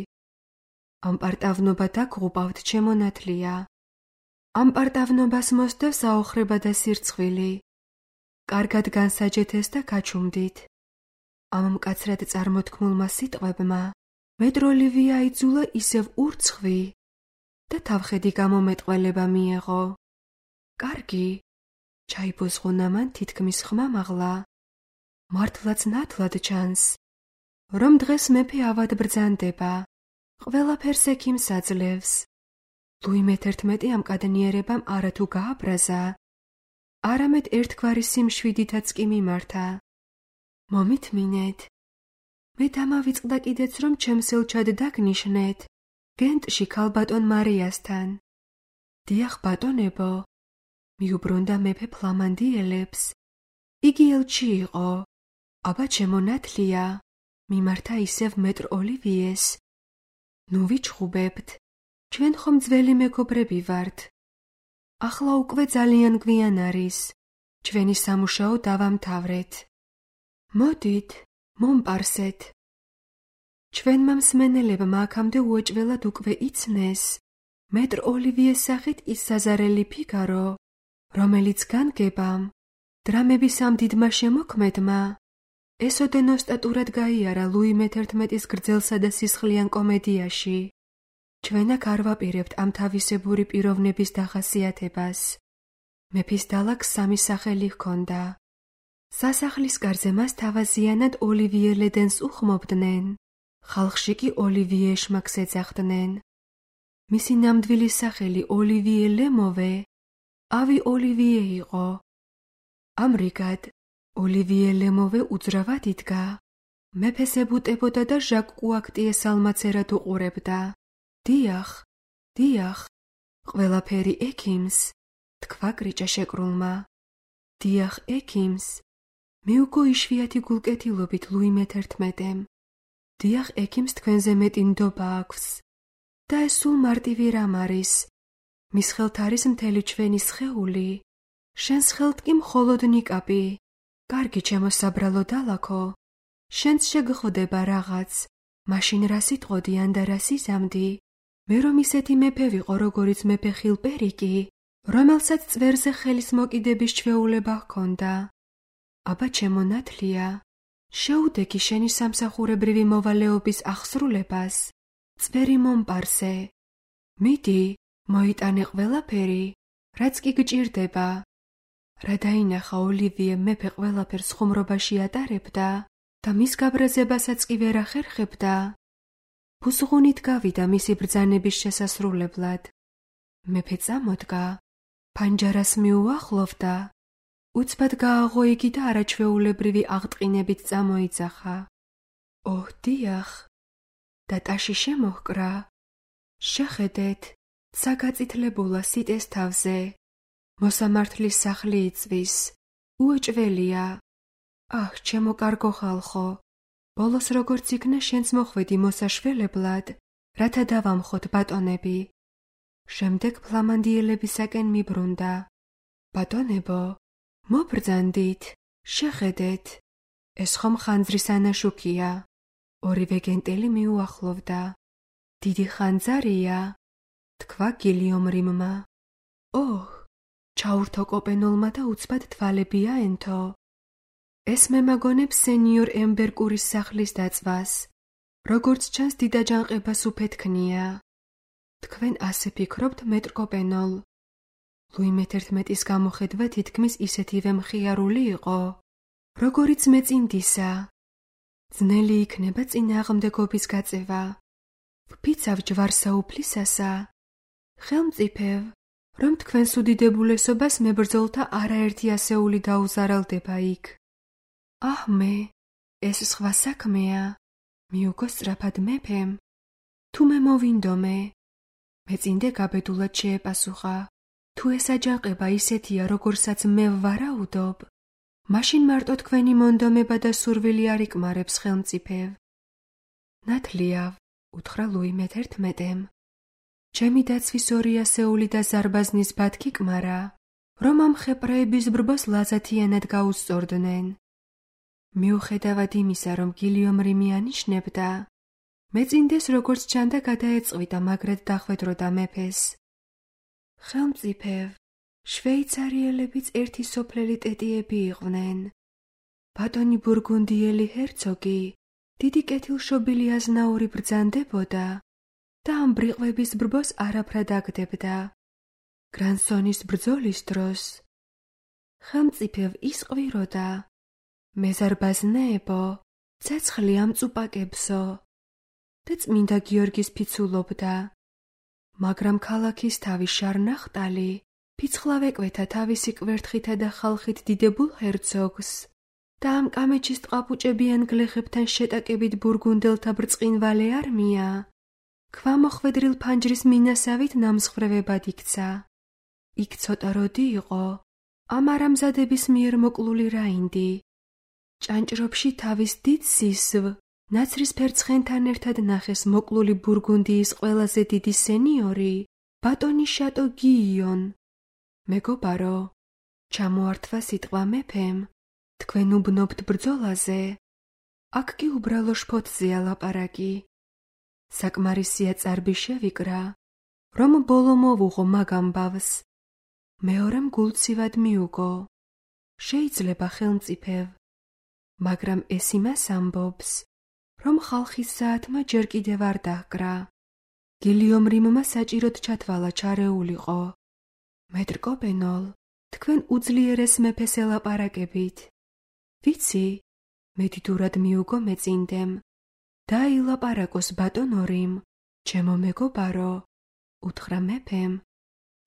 ამ პარტავნობა დაგღუპავთ ჩემონათლია. ამ პარტავნობას მოსდევს აოხრება და სირცხვილი. კარგად განსაჯეთეს და გაჩუმდით. ამ მკაცრად წარმოთქმულმა სიტყვებმა მეტრ ოლივია აიძულა ისევ ურცხვი და თავხედი გამომეტყველება მიეღო. კარგი, ჩაიბოზღუნა მან თითქმის ხმამაღლა. მართლაც ნათლად ჩანს, რომ დღეს მეფე ავად ბრძანდება. ყველაფერს ექიმს აძლევს. ლუი მეთერთმეტი ამ კადნიერებამ არათუ გააბრაზა, არამედ ერთგვარი სიმშვიდითაც კი მიმართა. მომითმინეთ. მე დამავიწყდა კიდეც, რომ ჩემს ელჩად დაგნიშნეთ გენტში ქალბატონ მარიასთან. დიახ, ბატონებო, მიუბრუნდა მეფე ფლამანდიელებს. იგი ელჩი იყო, აბა ჩემონათლია, მიმართა ისევ მეტრ ოლივიეს. ნუ ვიჩხუბებთ, ჩვენ ხომ ძველი მეგობრები ვართ. ახლა უკვე ძალიან გვიან არის, ჩვენი სამუშაო დავამთავრეთ. მოდით, მომპარსეთ. ჩვენმა მსმენელებმა აქამდე უეჭველად უკვე იცნეს მეტრ ოლივიეს სახით ის საზარელი ფიგარო, რომელიც განგებამ დრამების ამ დიდმა შემოქმედმა ეს ოდენოსტატურად გაიარა ლუი მეთერთმეტის გრძელსა და სისხლიან კომედიაში. ჩვენ აქ არ ვაპირებთ ამ თავისებური პიროვნების დახასიათებას. მეფის დალაგს სამი სახელი ჰქონდა. სასახლის კარზე მას თავაზიანად ოლივიე ლედენს უხმობდნენ, ხალხში კი ოლივიე ეშმაკს ეძახდნენ. მისი ნამდვილი სახელი ოლივიე ლემოვე, ავი ოლივიე იყო. ამრიგად, ოლივიე ლემოვე უძრავად იდგა. მეფეს ებუტებოდა და ჟაკ კუაქტიეს ალმაცერად უყურებდა. დიახ, დიახ, ყველაფერი ექიმს, თქვა კრიჭა შეკრულმა. დიახ, ექიმს. მიუგო იშვიათი გულკეთილობით ლუი მეთერთმეტემ. დიახ, ექიმს თქვენზე მეტი ნდობა აქვს. და ეს სულ მარტივი რამ არის. მის ხელთ არის მთელი ჩვენი სხეული. შენს ხელთ კი მხოლოდ ნიკაპი. კარგი, ჩემო საბრალო დალაქო. შენც შეგხვდება რაღაც. მაშინ რა სიტყოდიან და რა სიზამდი. მე რომ ისეთი მეფე ვიყო, როგორიც მეფე ხილპერიკი, რომელსაც წვერზე ხელის მოკიდების ჩვეულება ჰქონდა. აბა ჩემო ნათლია, შეუდეგი შენი სამსახურებრივი მოვალეობის აღსრულებას. წვერი მომპარსე. მიდი, მოიტანე ყველაფერი, რაც კი გჭირდება. რა დაინახა ოლივიე მეფე ყველაფერს ხუმრობაში ატარებდა და მის გაბრაზებასაც კი ვერ ახერხებდა. ბუზღუნით გავიდა მისი ბრძანების შესასრულებლად. მეფე წამოდგა, ფანჯარას მიუახლოვდა, უცბად გააღო იგი და არაჩვეულებრივი აღტყინებით წამოიძახა. ოჰ, დიახ, და ტაში შემოჰკრა. შეხედეთ, ცა გაწითლებულა სიტეს თავზე. მოსამართლის სახლი იწვის, უეჭველია. აჰ, ჩემო კარგო ხალხო, ბოლოს როგორც იქნა შენც მოხვედი მოსაშველებლად, რათა დავამხოთ ბატონები. შემდეგ ფლამანდიელებისაკენ მიბრუნდა. ბატონებო, მობრძანდით, შეხედეთ. ეს ხომ ხანძრის ანაშუქია. ორივე გენტელი მიუახლოვდა. დიდი ხანძარია, თქვა გილიომ რიმმა. ოჰ, ჩაურთო კოპენოლმა და უცბად თვალები აენთო. ეს მემაგონებს სენიორ ემბერკურის სახლის დაწვას. როგორც ჩანს, დიდაჯანყებას უფეთქნია. თქვენ ასე ფიქრობთ, მეტრ კოპენოლ? ლუი მეთერთმეტის გამოხედვა თითქმის ისეთივე მხიარული იყო, როგორიც მეწინდისა. ძნელი იქნება წინააღმდეგობის გაწევა. ვფიცავ ჯვარსაუფლისასა. ხელმწიფევ, რომ თქვენს უდიდებულესობას მებრძოლთა არაერთი ასეული დაუზარალდება იქ. აჰ, მე, ეს სხვა საქმეა. მიუგო სწრაფად მეფემ. თუ მე მოვინდომე. მეწინდე გაბედულად შეეპასუხა. თუ ეს აჯანყება ისეთია, როგორსაც მე ვარაუდობ, მაშინ მარტო თქვენი მონდომება და სურვილი არ იკმარებს ხელმწიფევ. ნათლია, უთხრა ლუი მეთერთმეტემ. ჩემი დაცვის ორი ასეული და ზარბაზნის ბათქი კმარა, რომ ამ ხეპრეების ბრბოს ლაზათიანად გაუსწორდნენ. მიუხედავად იმისა, რომ გილიომ რიმი ანიშნებდა, მეწინდეს როგორც ჩანდა გადაეწყვიტა მაგრად დახვედროდა მეფეს. ხელმწიფევ, შვეიცარიელებიც ერთი სოფლელი ტეტიები იყვნენ. ბატონი ბურგუნდიელი ჰერცოგი დიდი კეთილშობილი აზნაური ბრძანდებოდა და ამ ბრიყვების ბრბოს არაფრად აგდებდა. გრანსონის ბრძოლის დროს ხელმწიფევ ისყვიროდა. მეზარბაზნეებო, ცეცხლი ამწუპაკებსო და წმინდა გიორგის ფიცულობდა. მაგრამ ქალაქის თავი შარნახტალი ფიცხლავ ეკვეთა თავისი კვერთხითა და ხალხით დიდებულ ჰერცოგს და ამ კამეჩის ტყაპუჭებიან გლეხებთან შეტაკებით ბურგუნდელთა ბრწყინვალე არმია ქვამოხვედრილ ფანჯრის მინასავით ნამსხვრევებად იქცა. იქ ცოტა როდი იყო ამ არამზადების მიერ მოკლული რაინდი. ჭანჭრობში თავის დიდ სისვ, ნაცრისფერ ცხენთან ერთად ნახეს მოკლული ბურგუნდიის ყველაზე დიდი სენიორი, ბატონი შატო გიიონ. მეგობარო, ჩამოართვა სიტყვა მეფემ, თქვენ უბნობთ ბრძოლაზე. აქ კი უბრალო შფოთზეა ლაპარაკი. საკმარისია წარბი შევიკრა, რომ ბოლო მოვუღო მაგ ამბავს. მეორემ გულცივად მიუგო. შეიძლება ხელმწიფევ. მაგრამ ეს იმას ამბობს, რომ ხალხის საათმა ჯერ კიდევ არ დაჰკრა. გილიომ რიმმა საჭიროდ ჩათვალა ჩარეულიყო. მეტრკოპენოლ, თქვენ უძლიერეს მეფეს ელაპარაკებით. ვიცი, მედიდურად მიუგო მეწინდემ. დაილაპარაკოს ბატონო რიმ, ჩემო მეგობარო, უთხრა მეფემ.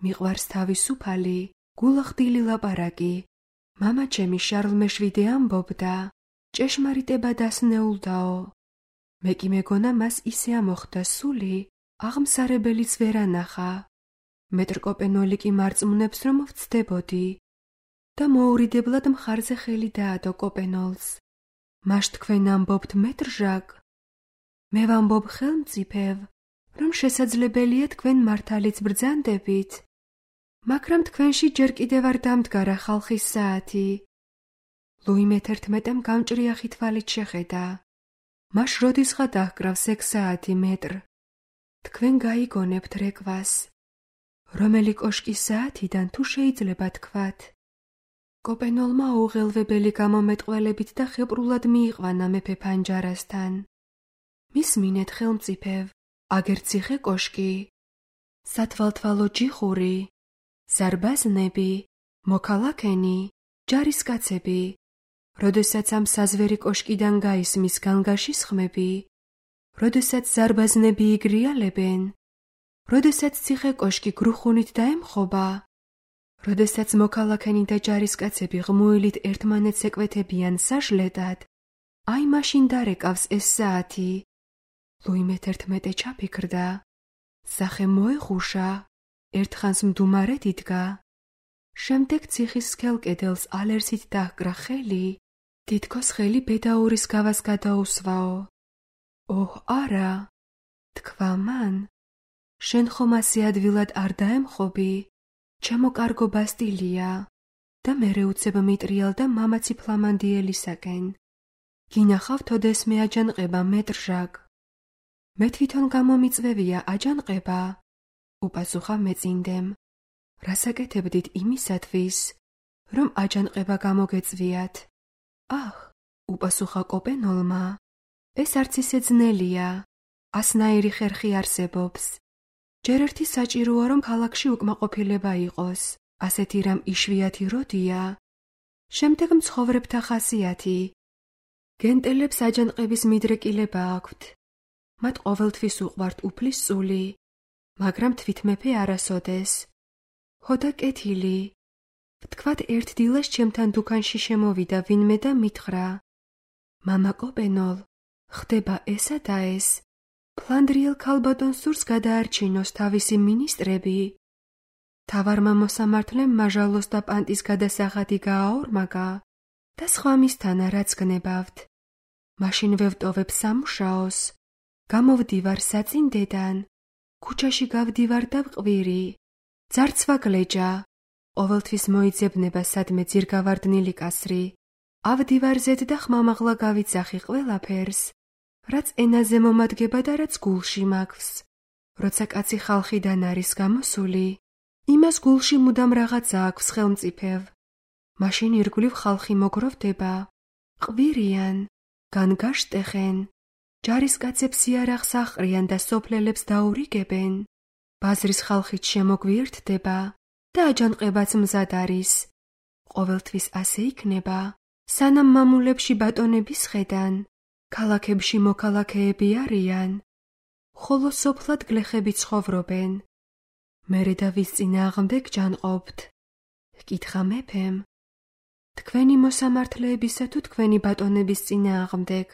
მიყვარს თავისუფალი, გულახდილი ლაპარაკი. მამა ჩემი შარლ მეშვიდე ამბობდა, ჭეშმარიტება დასნეულდაო. მე კი მეგონა მას ისე ამოხდა სული, აღმსარებელიც ვერ ანახა. მეტრკოპენოლი კი მარწმუნებს, რომ ვცდებოდი და მოურიდებლად მხარზე ხელი დაადო კოპენოლს. მაშ თქვენ ამბობთ მეტრჟაკ? მე ვამბობ ხელმწიფევ, რომ შესაძლებელია თქვენ მართალიც ბრძანდებით, მაგრამ თქვენში ჯერ კიდევ არ დამდგარა ხალხის საათი. ლუი მეთერთმეტემ გამჭრიახი თვალით შეხედა. მაშ როდისღა დაჰკრავს ეგ საათი მეტრ? თქვენ გაიგონებთ რეკვას. რომელი კოშკის საათიდან თუ შეიძლება თქვათ? კოპენოლმა უღელვებელი გამომეტყველებით და ხეპრულად მიიყვანა მეფე ფანჯარასთან. მისმინეთ ხელმწიფევ, აგერ ციხე კოშკი, სათვალთვალო ჯიხური, ზარბაზნები, მოქალაქენი, ჯარისკაცები. როდესაც ამ საზვერი კოშკიდან გაისმის განგაშის ხმები, როდესაც ზარბაზნები იგრიალებენ, როდესაც ციხე კოშკი გრუხუნით დაემხობა, როდესაც მოქალაქენი და ჯარისკაცები ღმუილით ერთმანეთს ეკვეთებიან საჟლედად, აი მაშინ დარეკავს ეს საათი. ლუი მეთერთმეტე ჩაფიქრდა. სახე მოეხუშა, ერთხანს მდუმარედ იდგა. შემდეგ ციხის სქელ კედელს ალერსით დაჰკრა ხელი, თითქოს ხელი ბედაურის გავას გადაუსვაო. ოჰ, არა, თქვა მან, შენ ხომ ასე ადვილად არ დაემხობი, ჩემო კარგო ბასტილია და მერე უცებ მიტრიალ და მამაცი ფლამანდიელისაკენ. გინახავ თოდეს მე აჯანყება მეტრჟაკ? მე თვითონ გამომიწვევია აჯანყება, უპასუხა მეწინდემ. რასაკეთებდით იმისათვის, რომ აჯანყება გამოგეწვიათ? აჰ, უპასუხა კოპენოლმა, ეს არც ისე ძნელია, ასნაირი ხერხი არსებობს. ჯერ ერთი საჭიროა, რომ ქალაქში უკმაყოფილება იყოს, ასეთი რამ იშვიათი როდია. შემდეგ მცხოვრებთა ხასიათი. გენტელებს აჯანყების მიდრეკილება აქვთ. მათ ყოველთვის უყვართ უფლის წული, მაგრამ თვითმეფე არასოდეს. ჰოდა კეთილი. ვთქვათ ერთ დილას ჩემთან დუქანში შემოვიდა ვინმე და მითხრა, მამა კოპენოლ, ხდება ესა და ეს. ფლანდრიელ ქალბატონ სურს გადაარჩინოს თავისი მინისტრები. თავარმა მოსამართლემ მაჟალოს და პანტის გადასახადი გააორმაგა და სხვა მისთანა რაც გნებავთ. მაშინ ვევტოვებ სამუშაოს, გამოვდივარ საწინდედან, ქუჩაში გავდივარ და ვყვირი. ძარცვა გლეჯა, ყოველთვის მოიძებნება სადმე ძირგავარდნილი კასრი. ავდივარზედ და ხმამაღლა გავიცახი ყველაფერს, რაც ენაზე მომადგება და რაც გულში მაქვს. როცა კაცი ხალხიდან არის გამოსული, იმას გულში მუდამ რაღაცა აქვს ხელმწიფევ. მაშინ ირგვლივ ხალხი მოგროვდება, ყვირიან, განგაშტეხენ, ჯარისკაცებს იარაღს აყრიან და სოფლელებს დაურიგებენ. ბაზრის ხალხით შემოგვიერთდება და აჯანყებაც მზად არის. ყოველთვის ასე იქნება, სანამ მამულებში ბატონები სხედან, ქალაქებში მოქალაქეები არიან, ხოლო სოფლად გლეხები ცხოვრობენ. მერე და ვის წინააღმდეგ ჯანყობთ? ჰკითხა მეფემ. თქვენი მოსამართლეებისა თუ თქვენი ბატონების წინააღმდეგ?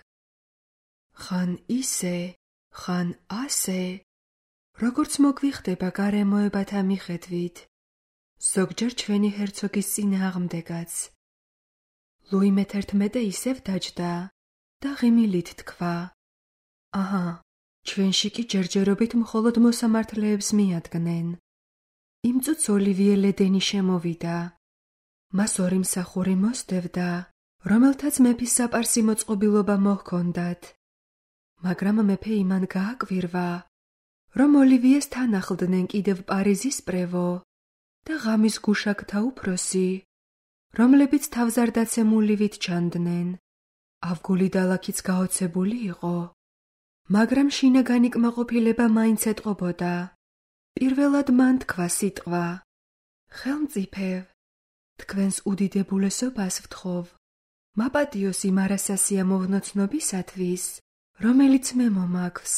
ხან ისე, ხან ასე, როგორც მოგვიხდება გარემოებათა მიხედვით, ზოგჯერ ჩვენი ჰერცოგის წინააღმდეგაც. ლუი მეთერთმეტე ისევ დაჯდა და ღიმილით თქვა, აჰა, ჩვენში კი ჯერჯერობით მხოლოდ მოსამართლეებს მიადგნენ. იმ წუთს ოლივიე ლედენი შემოვიდა. მას ორი მსახური მოსდევდა, რომელთაც მეფის საპარსი მოწყობილობა მოჰქონდათ. მაგრამ მეფე იმან გააკვირვა, რომ ოლივიეს თან ახლდნენ კიდევ პარიზის პრევო და ღამის გუშაგთა უფროსი, რომლებიც თავზარდაცემულივით ჩანდნენ. ავგული დალაქიც გაოცებული იყო, მაგრამ შინაგანი კმაყოფილება მაინც ეტყობოდა. პირველად მან თქვა სიტყვა: ხელმწიფევ, თქვენს უდიდებულესობას ვთხოვ, მაპატიოს იმ არასასია მოვნოცნობისათვის, რომელიც მე მომაქვს.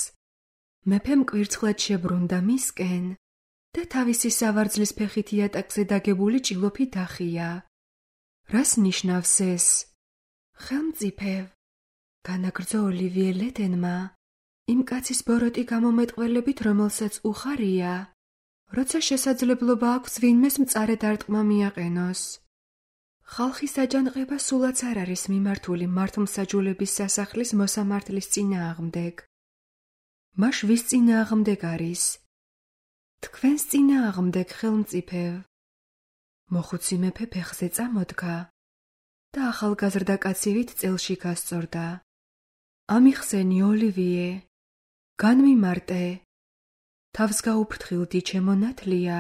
მეფემ კვირცხლად შებრუნდა მისკენ და თავისი სავარძლის ფეხით იატაკზე დაგებული ჭილოფით ახია. რას ნიშნავს ეს? ხელმწიფევ, განაგრძო ოლივიე ლედენმა, იმ კაცის ბოროტი გამომეტყველებით, რომელსაც უხარია, როცა შესაძლებლობა აქვს ვინმეს მწარე დარტყმა მიაყენოს. ხალხის აჯანყება სულაც არ არის მიმართული მართლმსაჯულების სასახლის მოსამართლის წინააღმდეგ. მაშ ვის წინააღმდეგ არის? თქვენს წინააღმდეგ, ხელმწიფევ. მოხუცი მეფე ფეხზე წამოდგა და ახალგაზრდა კაცივით წელში გასწორდა. ამიხსენი, ოლივიე, განმიმარტე. თავს გაუფრთხილდი, ჩემო ნათლია,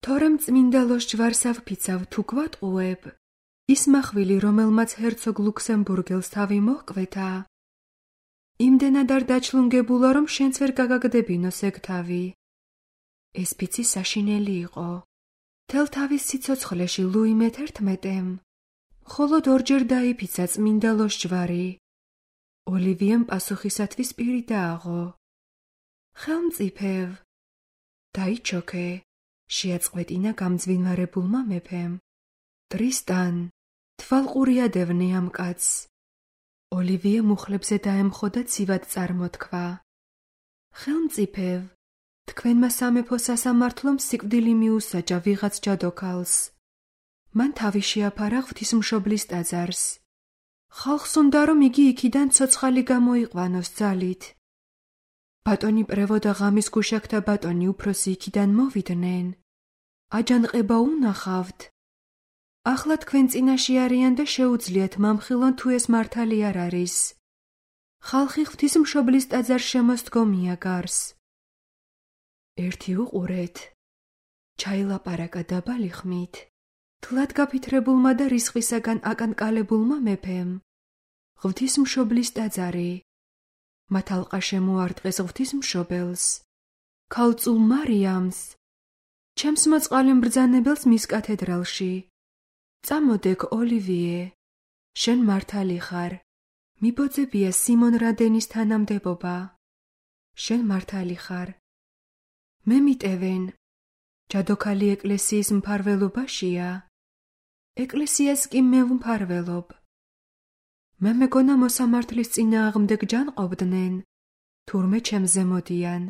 თორემ წმინდა ლოშჯვარს ავფიცავ თუ გვატყუებ, ის მახვილი, რომელმაც ჰერცოგ ლუქსემბურგელს თავი მოჰკვეთა, იმდენად არ დაჩლუნგებულა, რომ შენც ვერ გაგაგდებინოს ეგ თავი. ეს ფიცი საშინელი იყო. თელ თავის სიცოცხლეში ლუი მეთერთმეტემ მხოლოდ ორჯერ დაიფიცა წმინდა ლოშჯვარი. ოლივიემ პასუხისათვის პირი დააღო. ხელმწიფევ, დაიჩოქე, შეაწყვეტინა გამძვინვარებულმა მეფემ. ტრისტან, თვალყურიადევნე ამ კაცს. ოლივიე მუხლებზე დაემხო და ცივად წარმოთქვა. ხელმწიფევ, თქვენმა სამეფო სასამართლომ სიკვდილი მიუსაჯა ვიღაც ჯადოქალს. მან თავი შეაფარა ღვთისმშობლის ტაძარს. ხალხს უნდა, რომ იგი იქიდან ცოცხალი გამოიყვანოს ძალით. ბატონი პრევო და ღამის გუშაკთა ბატონი უფროსი იქიდან მოვიდნენ. აჯანყება უნახავთ. ახლა თქვენ წინაში არიან და შეუძლიათ მამხილონ თუ ეს მართალი არ არის. ხალხი ღვთისმშობლის ტაძარს შემოსდგომია გარს. ერთი უყურეთ. ჩაილაპარაკა დაბალი ხმით. თლად გაფითრებულმა და რისხვისაგან აკანკალებულმა მეფემ. ღვთისმშობლის ტაძარი. მათ ალყა შემოარტყეს ღვთისმშობელს. ქალწულ მარიამს. ჩემს მოწყალე მბრძანებელს მის კათედრალში. წამოდეკ, ოლივიე. შენ მართალი ხარ. მიბოძებია სიმონ რადენის თანამდებობა. შენ მართალი ხარ. მე მიტევენ. ჯადოქალი ეკლესიის მფარველობაშია. ეკლესიას კი მე ვმფარველობ. მე მეგონა მოსამართლის წინააღმდეგ ჯანყობდნენ, თურმე ჩემზე მოდიან.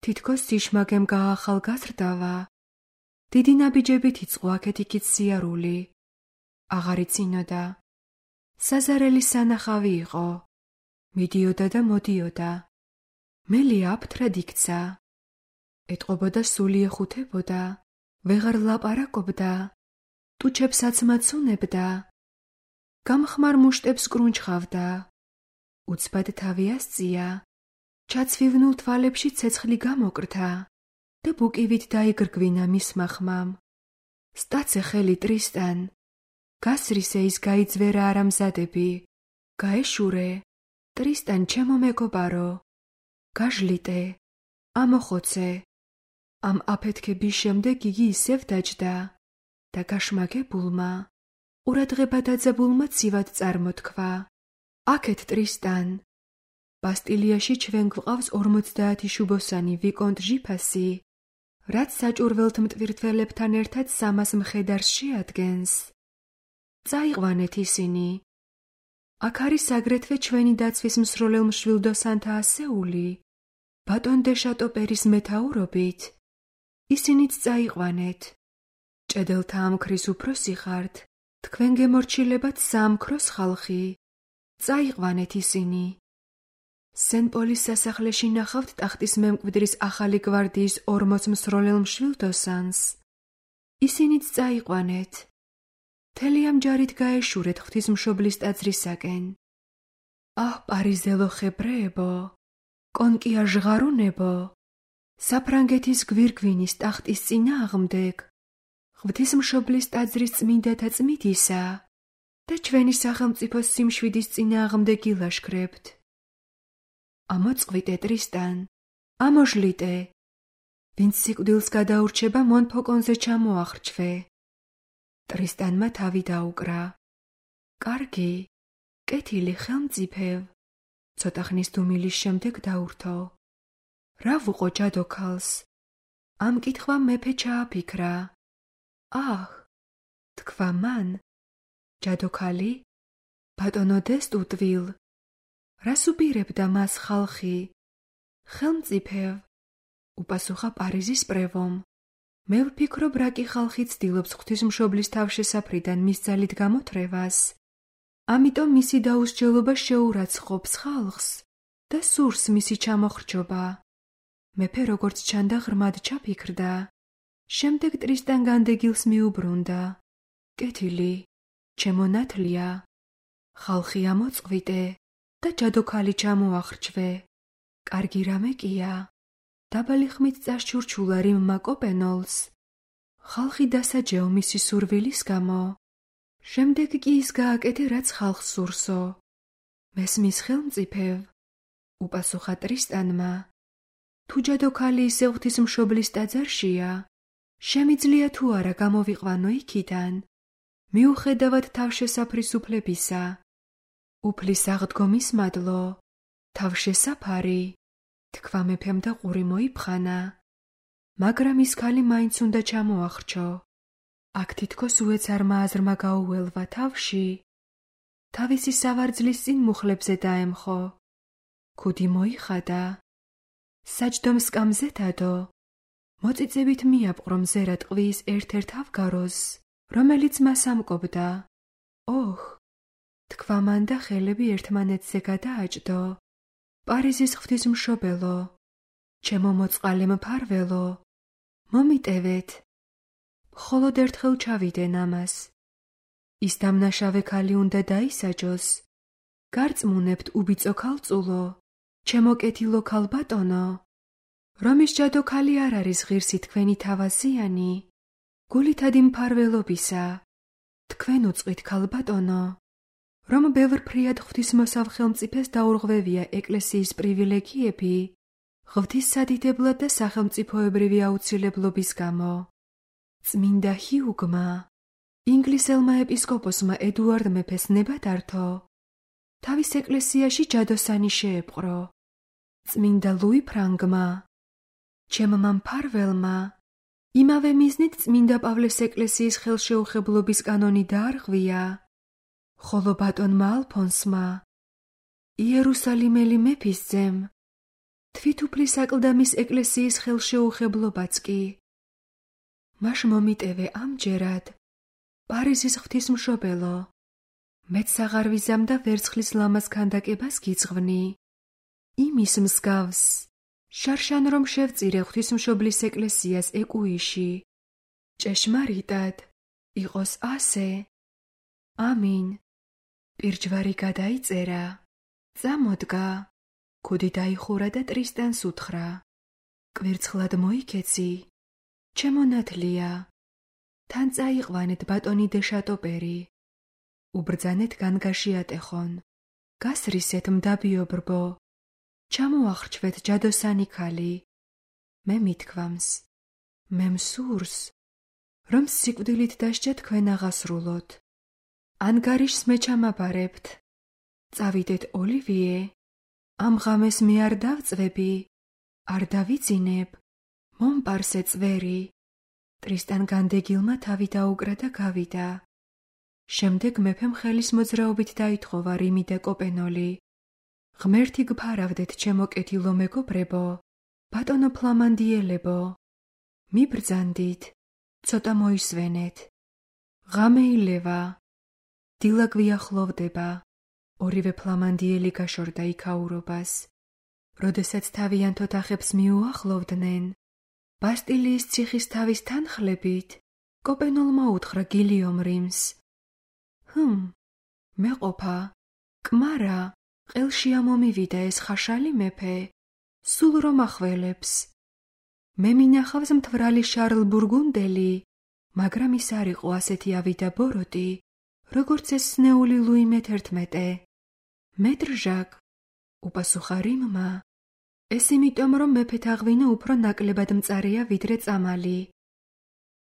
თითქოს სიშმაგემ გაახალგაზრდავა. დიდი ნაბიჯებით იწყო აქეთ-იქით სიარული. აღარ იცინოდა. საზარელი სანახავი იყო. მიდიოდა და მოდიოდა. მელი აფთრად იქცა. ეტყობოდა სული ეხუთებოდა. ვეღარ ლაპარაკობდა. ტუჩებსაც მაცუნებდა. გამხმარ მუშტებს კრუნჩხავდა. უცბად თავი ასწია. ჩაცვივნულ თვალებში ცეცხლი გამოკრთა და ბუკივით დაიგრგვინა მისმა ხმამ. სტაცე ხელი, ტრისტან. გასრისე ის გაიძვერა არამზადები. გაეშურე. ტრისტან, ჩემო მეგობარო. გაჟლიტე. ამოხოცე. ამ აფეთქების შემდეგ იგი ისევ დაჯდა და გაშმაგებულმა, ყურადღება დაძაბულმა ცივად წარმოთქვა. აქეთ, ტრისტან. ბასტილიაში ჩვენ გვყავს ორმოცდაათი შუბოსანი ვიკონტ ჟიფასი, რაც საჭურველთ მტვირთველებთან ერთად სამას მხედარს შეადგენს. წაიყვანეთ ისინი. აქ არის აგრეთვე ჩვენი დაცვის მსროლელ მშვილდოსანთა ასეული, ბატონ დე შატოპერის მეთაურობით. ისინიც წაიყვანეთ. ჭედელთა ამქრის უფროსი ხართ, თქვენ გემორჩილებათ საამქროს ხალხი. წაიყვანეთ ისინი. სენ-პოლის სასახლეში ნახავთ ტახტის მემკვიდრის ახალი გვარდიის ორმოც მსროლელ მშვილდოსანს. ისინიც წაიყვანეთ. მთელი ამ ჯარით გაეშურეთ ღვთისმშობლის ტაძრისაკენ. აჰ, პარიზელო ხებრეებო, კონკია ჟღარუნებო, საფრანგეთის გვირგვინის ტახტის წინააღმდეგ, ღვთისმშობლის ტაძრის წმინდათა წმიდისა, და ჩვენი სახელმწიფოს სიმშვიდის წინააღმდეგ ილაშქრებთ. ამოწყვიტე, ტრისტან, ამოჟლიტე. ვინც სიკვდილს გადაურჩება, მონფოკონზე ჩამოახრჩვე. ტრისტანმა თავი დაუკრა. კარგი, კეთილი, ხელმწიფევ. ცოტა ხნის დუმილის შემდეგ დაურთო. რა ვუყო ჯადოქალს? ამ კითხვამ მეფე ჩააფიქრა. აჰ, თქვა მან. ჯადოქალი? ბატონო დესტუტვილ. რას უპირებდა მას ხალხი? ხელმწიფევ, უპასუხა პარიზის პრევომ. მე ვფიქრობ, რა კი ხალხი ცდილობს ღვთისმშობლის თავშესაფრიდან მის ძალით გამოთრევას. ამიტომ მისი დაუსჯელობა შეურაცხყოფს ხალხს და სურს მისი ჩამოხრჩობა. მეფე როგორც ჩანდა ღრმად ჩაფიქრდა. შემდეგ ტრისტან განდეგილს მიუბრუნდა. კეთილი, ჩემო ნათლია, ხალხი ამოწყვიტე და ჯადოქალი ჩამოახრჩვე. კარგი რამე კია. დაბალი ხმით წაშჩურჩულა რიმმა კოპენოლს. ხალხი დასაჯეო მისი სურვილის გამო. შემდეგ კი ის გააკეთე, რაც ხალხს სურსო. მესმის ხელმწიფევ, უპასუხა ტრისტანმა. თუ ჯადოქალი ისე ღვთისმშობლის ტაძარშია, შემიძლია თუ არა გამოვიყვანო იქიდან, მიუხედავად თავშესაფრის უფლებისა. უფლის აღდგომის მადლო, თავშესაფარი, თქვა მეფემ და ყური მოიფხანა. მაგრამ ის ქალი მაინც უნდა ჩამოახრჩო. აქ თითქოს უეცარმა აზრმა გაუველვა თავში. თავისი სავარძლის წინ მუხლებზე დაემხო. ქუდი მოიხადა. საჯდომ სკამზე დადო. მოწიწებით მიაპყრო მზერა ტყვის ერთ-ერთ ავგაროზს, რომელიც მას ამკობდა. ოხ, თქვა მან და ხელები ერთმანეთზე გადააჭდო. პარიზის ღვთისმშობელო, ჩემო მოწყალე მფარველო, მომიტევეთ. მხოლოდ ერთხელ ჩავიდენ ამას. ის დამნაშავე ქალი უნდა დაისაჯოს. გარწმუნებთ უბიწო ქალწულო, ჩემო კეთილო ქალბატონო. რომის ჯადოქალი არ არის ღირსი თქვენი თავაზიანი, გულითადი მფარველობისა. თქვენ უწყვით ქალბატონო, რომ ბევრ ფრიად ღვთისმოსავ ხელმწიფეს დაურღვევია ეკლესიის პრივილეგიები, ღვთის სადიდებლად და სახელმწიფოებრივი აუცილებლობის გამო. წმინდა ჰიუგმა, ინგლისელმა ეპისკოპოსმა ედუარდ მეფეს ნება დართო. თავის ეკლესიაში ჯადოსანი შეეპყრო. წმინდა ლუი ფრანგმა, ჩემმა მფარველმა, იმავე მიზნით წმინდა პავლეს ეკლესიის ხელშეუხებლობის კანონი დაარღვია. ხოლო ბატონმა ალფონსმა, იერუსალიმელი მეფისძემ, თვითუფლის აკლდამის ეკლესიის ხელშეუხებლობაც კი. მაშ მომიტევე ამჯერად, პარიზის ღვთისმშობელო, მეც აღარ ვიზამ და ვერცხლის ლამაზ ქანდაკებას გიძღვნი. იმის მსგავს, შარშან რომ შევწირე ღვთისმშობლის ეკლესიას ეკუიში. ჭეშმარიტად, იყოს ასე. ამინ. პირჯვარი გადაიწერა. წამოდგა. ქუდი დაიხურა და ტრისტანს უთხრა. კვირცხლად მოიქეცი. ჩემო ნათლია. თან წაიყვანეთ ბატონი დე შატოპერი. უბრძანეთ განგაში ატეხონ. გასრისეთ მდაბიობრბო. ჩამოახრჩვეთ ჯადოსანი ქალი. მე მithქვამს. მე მსურს, რომ სიკვდილით დასჯა თქვენ აღასრულოთ. ანგარიშს მე ჩამაბარებთ. წავიდეთ ოლივიე. ამ ღამეს მე არ დავწვები, არ დავიძინებ, მომპარსე წვერი. ტრისტან განდეგილმა თავი დაუკრა და გავიდა. შემდეგ მეფემ ხელის მოძრაობით დაითხოვა რიმი და კოპენოლი. ღმერთი გფარავდეთ, ჩემო კეთილო მეგობრებო, ბატონო ფლამანდიელებო. მიბრძანდით, ცოტა მოისვენეთ. ღამე ილევა. დილა გვიახლოვდება. ორივე ფლამანდიელი გაშორდა იქაურობას. როდესაც თავიანთ ოთახებს მიუახლოვდნენ, ბასტილიის ციხის თავის თანხლებით, კოპენოლმა უთხრა გილიომ რიმს. ჰმ, მეყოფა, კმარა, ყელში ამომივიდა ეს ხაშალი მეფე, სულ რომ ახველებს. მე მინახავს მთვრალი შარლ ბურგუნდელი, მაგრამ ის არ იყო ასეთი ავიდა ბოროტი, როგორც ეს სნეული ლუი მეთერთმეტე. მეტრ ჟაკ, უპასუხა რიმმა. ეს იმიტომ, რომ მეფეთ აღვინო უფრო ნაკლებად მწარეა ვიდრე წამალი.